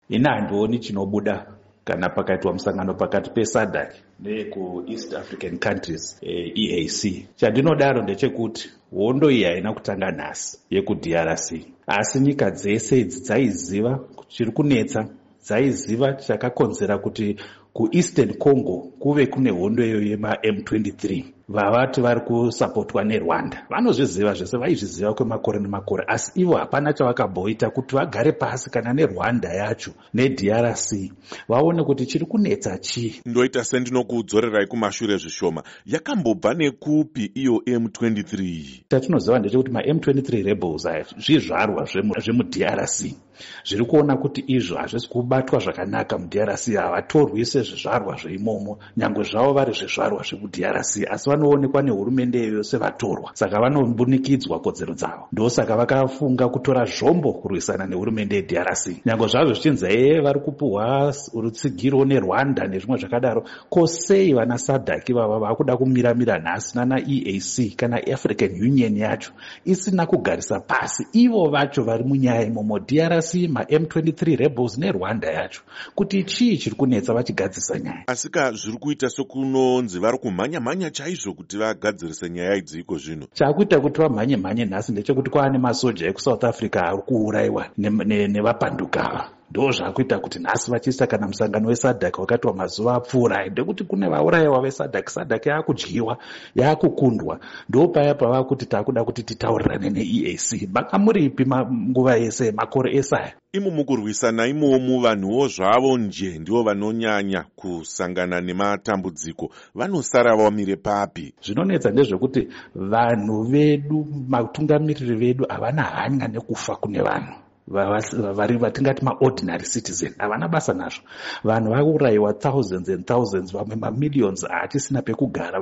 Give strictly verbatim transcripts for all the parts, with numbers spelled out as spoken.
Ini handioni chinobuda kana pakaitwa musangano pakati peSADC neyekuEast African Countries, E A C. Chandinodaro ndechekuti hondo iyi haina kutanga nhasi yekuD R C, asi nyika dzese idzi dzaiziva chiri kunetsa, dzaiziva chakakonzera kuti kuEastern Congo kuve kune hondo iyoyo yemaM twenty-three vavati vari kusapotwa neRwanda. Vanozviziva zvese, vaizviziva kwemakore nemakore, asi ivo hapana chavakamboita kuti vagare pasi kana neRwanda yacho neD R C vaone kuti chiri kunetsa chii. Ndoita sendinokudzorerai kumashure zvishoma. Yakambobva nekupi iyo M twenty-three? Chatinoziva ndechekuti maM twenty-three rebels aya zvizvarwa zvemuD R C zviri kuona kuti izvo hazvisi kubatwa zvakanaka muD R C. Havatorwi sezvizvarwa zveimomo, nyange zvavo vari zvizvarwa zvemuD R C, asi vanoonekwa nehurumende iyoyo sevatorwa, saka vanombunikidzwa kodzero dzavo. Ndosaka vakafunga kutora zvombo kurwisana nehurumende yeD R C, nyange zvazvo zvichinzi ee vari kupuhwa rutsigiro neRwanda nezvimwe zvakadaro. Ko sei vana SADC vava vakuda kumiramira nhasi nana E A C kana African Union yacho isina kugarisa pasi ivo vacho vari munyaya imomo, D R C, maM twenty-three rebels neRwanda yacho, kuti chii chiri kunetsa, vachigadzirisa nyaya? Asika zviri kuita sekunonzi vari kumhanya-mhanya chaizvo kuti vagadzirise nyaya idzi iko zvino. Chaakuita kuti vamhanye mhanye nhasi ndechekuti kwava nemasoja ekuSouth Africa ari kuurayiwa nevapanduka ava. Ndo zvaakuita kuti nhasi vachiisa kana musangano weSADC wakaitwa mazuva apfuura, ndekuti kune vaurayiwa veSADC. SADC yaakudyiwa, yaakukundwa. Ndo paya pava kuti taakuda kuti titaurirane neE A C. Manga muripi nguva yese, makore ese aya? Imo mukurwisana imomu, vanhuwo zvavo nje ndivo vanonyanya kusangana nematambudziko. Vanosara vamire papi? Zvinonetsa ndezvekuti vanhu vedu, matungamiriri vedu, havana hanya nekufa kune vanhu vari vatingati maordinary citizen. Havana basa nazvo. Vanhu vaurayiwa thousands and thousands, vamwe mamillions haachisina pekugara,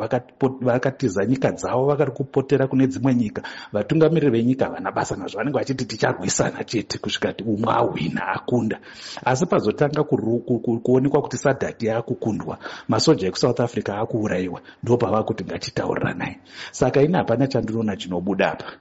vakatiza nyika dzavo, vakari kupotera kune dzimwe nyika. Vatungamiriri venyika havana basa nazvo. Vanenge vachiti ticharwisana chete kusvika umwe ahwina, akunda. Asi pazotanga kuonekwa kuti SADC yaakukundwa, masoja ekuSouth Africa akuurayiwa, ndo pava kuti ngatitauriranai. Saka ini hapana chandinoona chinobuda apa.